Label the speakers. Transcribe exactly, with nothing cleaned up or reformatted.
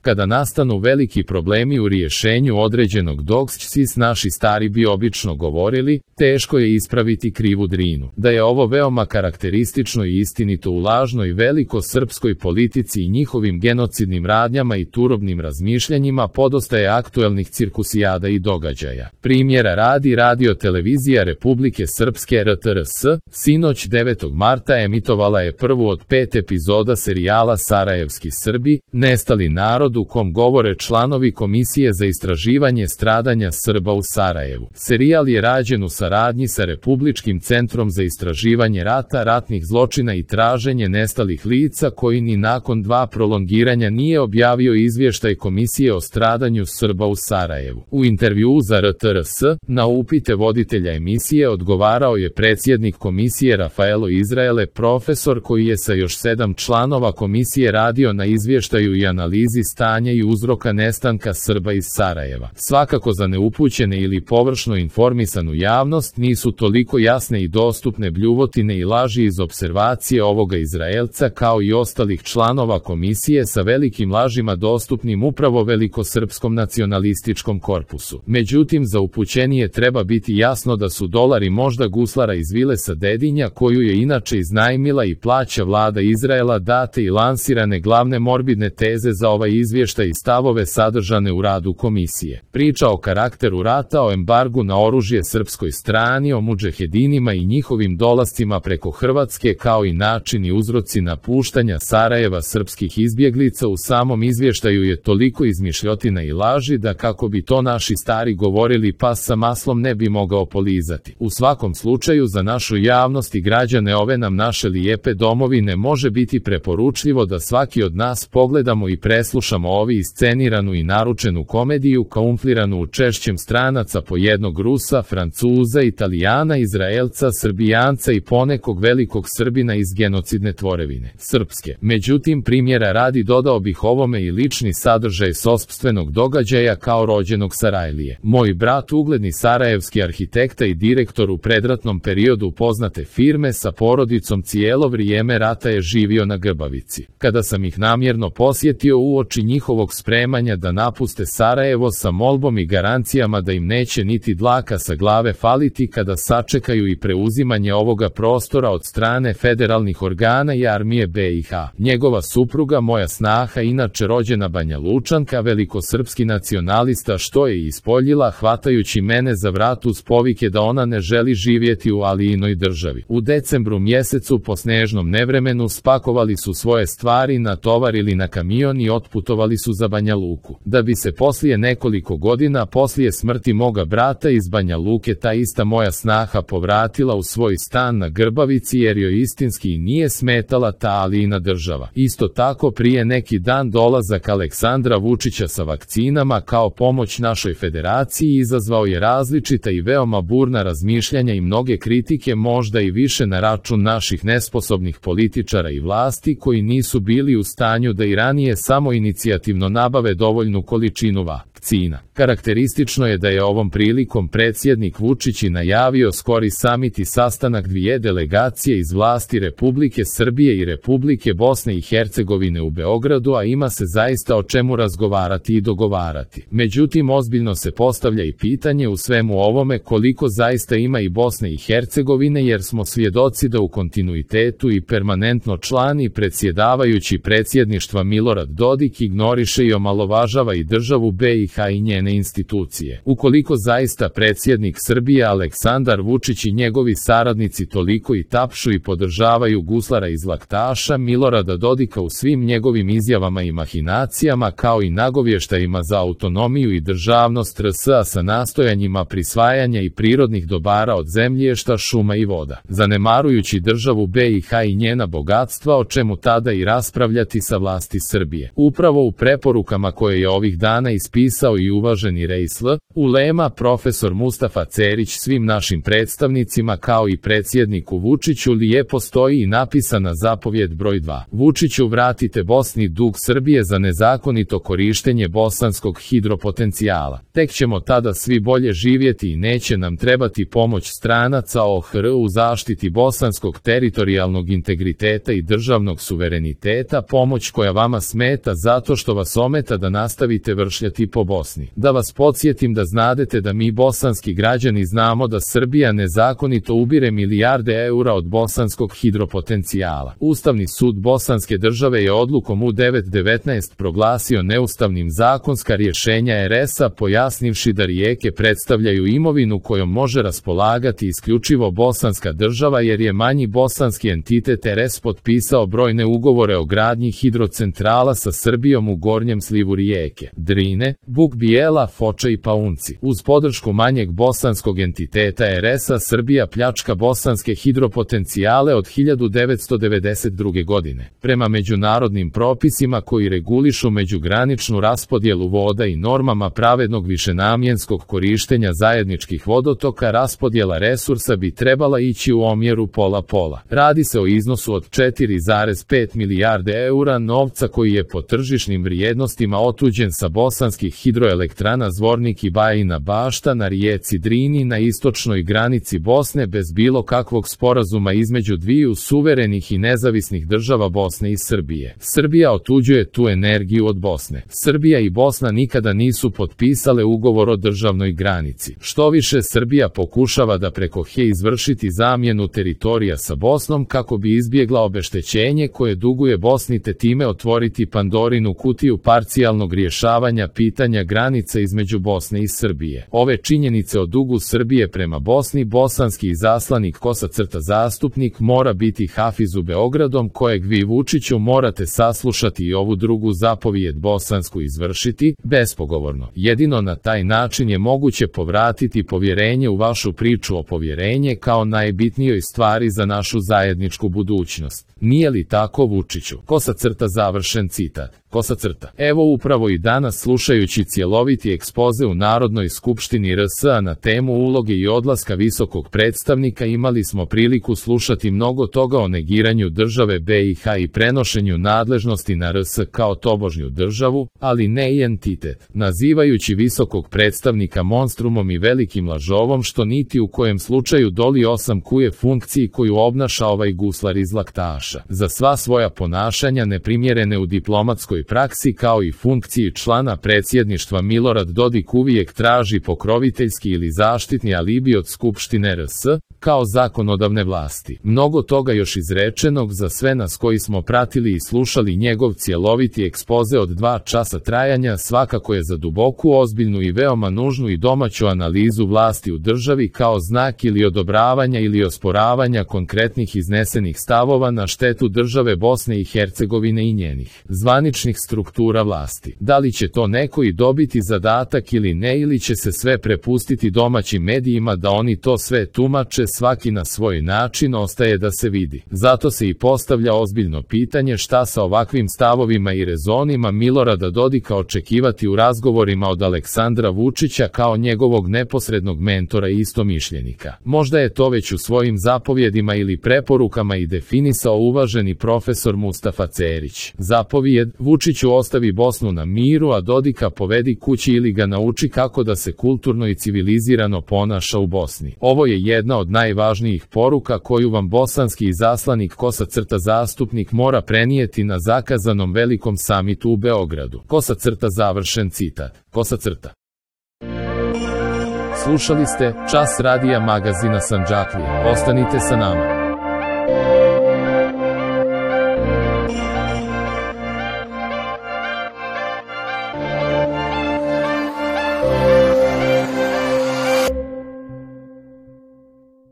Speaker 1: Kada nastanu veliki problemi u rješenju određenog dogscis, naši stari bi obično govorili, teško je ispraviti krivu drinu. Da je ovo veoma karakteristično i istinito u lažnoj velikosrpskoj politici i njihovim genocidnim radnjama i turobnim razmišljanjima podosta je aktuelnih cirkusijada i događaja. Primjera radi Radio Televizija Republike Srpske R T R S, sinoć devetog marta emitovala je prvu od pet epizoda serijala Sarajevski Srbi, nestali narod, u kom govore članovi Komisije za istraživanje stradanja Srba u Sarajevu. Serijal je rađen u saradnji sa Republičkim centrom za istraživanje rata, ratnih zločina i traženje nestalih lica, koji ni nakon dva prolongiranja nije objavio izvještaj Komisije o stradanju Srba u Sarajevu. U intervjuu za R T R S, na upite voditelja emisije odgovarao je predsjednik komisije Rafaelo Izraele, profesor koji je sa još sedam članova komisije radio na izvještaju i analizi stanja i uzroka nestanka Srba iz Sarajeva. Svakako za neupućene ili površno informisanu javnost nisu toliko jasne i dostupne bljuvotine i laži iz observacije ovoga Izraelca kao i ostalih članova komisije sa velikim lažima dostupnim upravo velikosrpskom nacionalističkom korpusu. Međutim, za upućenije treba biti jasno da su dolari možda guslara iz vile sa Dedinja, koju je inače iznajmila i plaća vlada Izraela, date i lansirane glavne morbidne teze za ovaj izvještaj i stavove sadržane u radu komisije. Priča o karakteru rata, o embargu na oružje srpskoj strani, o mudžahedinima i njihovim dolascima preko Hrvatske, kao i način i uzroci napuštanja Sarajeva srpskih izbjeglica u samom izvještaju je toliko izmišljotina i laži da, kako bi to naši stari govorili, pas sa maslom ne bi mogao polizati. U svakom slučaju, za našu javnost i građane ove nam naše lijepe domovine može biti preporučljivo da svaki od nas pogledamo i preslušamo ovi isceniranu i naručenu komediju, kamufliranu u češćem stranaca po jednog Rusa, Francuza, Italijana, Izraelca, Srbijanca i ponekog velikog Srbina iz genocidne tvorevine Srpske. Međutim, primjera radi dodao bih ovome i lični sadržaj sopstvenog događaja kao rođenog Sarajlije. Moj brat, ugledni sarajevski arhitekta i direktor u predratnom periodu poznate firme, sa porodicom cijelo vrijeme rata je živio na Grbavici. Kada sam ih namjerno posjetio uoči njihovog spremanja da napuste Sarajevo sa molbom i garancijama da im neće niti dlaka sa glave faliti kada sačekaju i preuzimanje ovoga prostora od strane federalnih organa i armije B i H. Njegova supruga, moja snaha, inače rođena Banja Lučanka, velikosrpski nacionalista, što je ispoljila hvatajući mene za vrat uz povike da ona ne želi živjeti u Alijinoj državi. U decembru mjesecu po snežnom nevremenu spakovali su svoje stvari, natovarili na kamion i otputovali su za Banja Luku. Da bi se poslije nekoliko godina poslije smrti moga brata iz Banja Luke ta ista moja snaha povratila u svoj stan na Grbavici jer joj istinski nije smetala ta Alijina država. Isto tako, prije neki dan dolazak Aleksandra Vučića sa vakcinama kao pomoć našoj federaciji izazvao je različita i veoma burna razmišljanja i mnoge kritike, možda i više na račun naših nesposobnih političara i vlasti koji nisu bili u stanju da i ranije samoinicijativno nabave dovoljnu količinu vakcina. Karakteristično je da je ovom prilikom predsjednik Vučić i najavio skori samit i sastanak dvije delegacije iz vlasti Republike Srbije i Republike Bosne i Hercegovine u Beogradu, a ima se zaista o čemu razgovarati i dogovarati. Međutim, ozbiljno se postavlja i pitanje u svemu ovome koliko zaista ima i Bosne i Hercegovine, jer smo svjedoci da u kontinuitetu i permanentno član i predsjedavajući predsjedništva Milorad Dodik ignoriše i omalovažava i državu B i H i njene institucije. Ukoliko zaista predsjednik Srbije Aleksandar Vučić i njegovi saradnici toliko i tapšu i podržavaju guslara iz laktaša Milorada Dodika u svim njegovim izjavama i mahinacijama, kao i nagovještajima za autonomiju i državnost R S, a sa nastojanjima prisvajanja i prirodnih dobara od zemljišta, šuma i voda, zanemarujući državu B i H i njena bogatstva, o čemu tada i raspravljati sa vlasti Srbije. Upravo u preporukama koje je ovih dana ispisao i uvaženi Reisl, ulema profesor Mustafa Cerić svim našim predstavnicima kao i predsjedniku Vučiću lijepo stoji i napisana zapovjed broj dva. Vučiću, vratite Bosni dug Srbije za nezakonito korištenje bosanskog hidropotencijala. Tek ćemo tada svi bolje živjeti i neće nam trebati pomoć stranaca O H R u zaštiti bosanskog teritorijalnog integriteta i državnog suvereniteta, pomoć koja vama smeta zato zato što vas ometa da nastavite vršljati po Bosni. Da vas podsjetim da znadete da mi bosanski građani znamo da Srbija nezakonito ubire milijarde eura od bosanskog hidropotencijala. Ustavni sud Bosanske države je odlukom U devet devetnaest proglasio neustavnim zakonska rješenja er es a, pojasnivši da rijeke predstavljaju imovinu kojom može raspolagati isključivo Bosanska država jer je manji bosanski entitet er es potpisao brojne ugovore o gradnji hidrocentrala sa Srbijom u gornjem slivu rijeke Drine, Buk Bijela, Foča i Paunci. Uz podršku manjeg bosanskog entiteta er es a Srbija pljačka bosanske hidropotencijale od hiljadu devetsto devedeset druge. godine. Prema međunarodnim propisima koji regulišu međugraničnu raspodjelu voda i normama pravednog višenamjenskog korištenja zajedničkih vodotoka, raspodjela resursa bi trebala ići u omjeru pola-pola. Radi se o iznosu od četiri zarez pet milijarde eura novca koji je po tržišnim vrijednostima otuđen sa bosanskih hidroelektrana Zvornik i Bajina Bašta na rijeci Drini na istočnoj granici Bosne bez bilo kakvog sporazuma između dviju suverenih i nezavisnih država Bosne i Srbije. Srbija otuđuje tu energiju od Bosne. Srbija i Bosna nikada nisu potpisale ugovor o državnoj granici. Što više, Srbija pokušava da preko he izvršiti zamjenu teritorija sa Bosnom kako bi izbjegla obeštećenje koje duguje Bosni te time otvoriti Pandorinu kutiju parcijalnog rješavanja pitanja granica između Bosne i Srbije. Ove činjenice o dugu Srbije prema Bosni bosanski izaslanik kosa crta zastupnik mora biti Hafiz u Beogradom kojeg vi Vučiću morate saslušati i ovu drugu zapovijed bosansku izvršiti, bespogovorno. Jedino na taj način je moguće povratiti povjerenje u vašu priču o povjerenje kao najbitnijoj stvari za našu zajedničku budućnost. Nije li tako, Vučiću? Kosa crta završen citat. Kosa crta. Evo upravo i danas slušajući cjeloviti ekspoze u Narodnoj skupštini er es a na temu uloge i odlaska visokog predstavnika imali smo priliku slušati mnogo toga o negiranju države be i ha i prenošenju nadležnosti na er es a kao tobožnju državu, ali ne i entitet, nazivajući visokog predstavnika monstrumom i velikim lažovom što niti u kojem slučaju doli osam kuje funkciji koju obnaša ovaj guslar iz Laktaša. Za sva svoja ponašanja neprimjerene u diplomatskoj praksi kao i funkciji člana predsjedništva Milorad Dodik uvijek traži pokroviteljski ili zaštitni alibi od Skupštine er es a, kao zakonodavne vlasti. Mnogo toga još izrečenog za sve nas koji smo pratili i slušali njegov cjeloviti ekspoze od dva časa trajanja svakako je za duboku, ozbiljnu i veoma nužnu i domaću analizu vlasti u državi kao znak ili odobravanja ili osporavanja konkretnih iznesenih stavova na štetu države Bosne i Hercegovine i njenih zvaničnih struktura vlasti. Da li će to neko i dobiti zadatak ili ne, ili će se sve prepustiti domaćim medijima da oni to sve tumače svaki na svoj način, ostaje da se vidi. Zato se i postavlja ozbiljno pitanje šta sa ovakvim stavovima i rezonima Milorada Dodika očekivati u razgovorima od Aleksandra Vučića kao njegovog neposrednog mentora i istomišljenika. Možda je to već u svojim zapovjedima ili preporukama i definisao uvaženi profesor Mustafa Cerić. Zapovijed: Vučiću ostavi Bosnu na miru, a Dodika povedi kući ili ga nauči kako da se kulturno i civilizirano ponaša u Bosni. Ovo je jedna od najvažnijih poruka koju vam bosanski izaslanik kosa crta zastupnik mora prenijeti na zakazanom velikom samitu u Beogradu. Kosa crta završen citat. Kosa crta. Slušali ste Čas radija magazina Sandžaklije. Ostanite sa nama.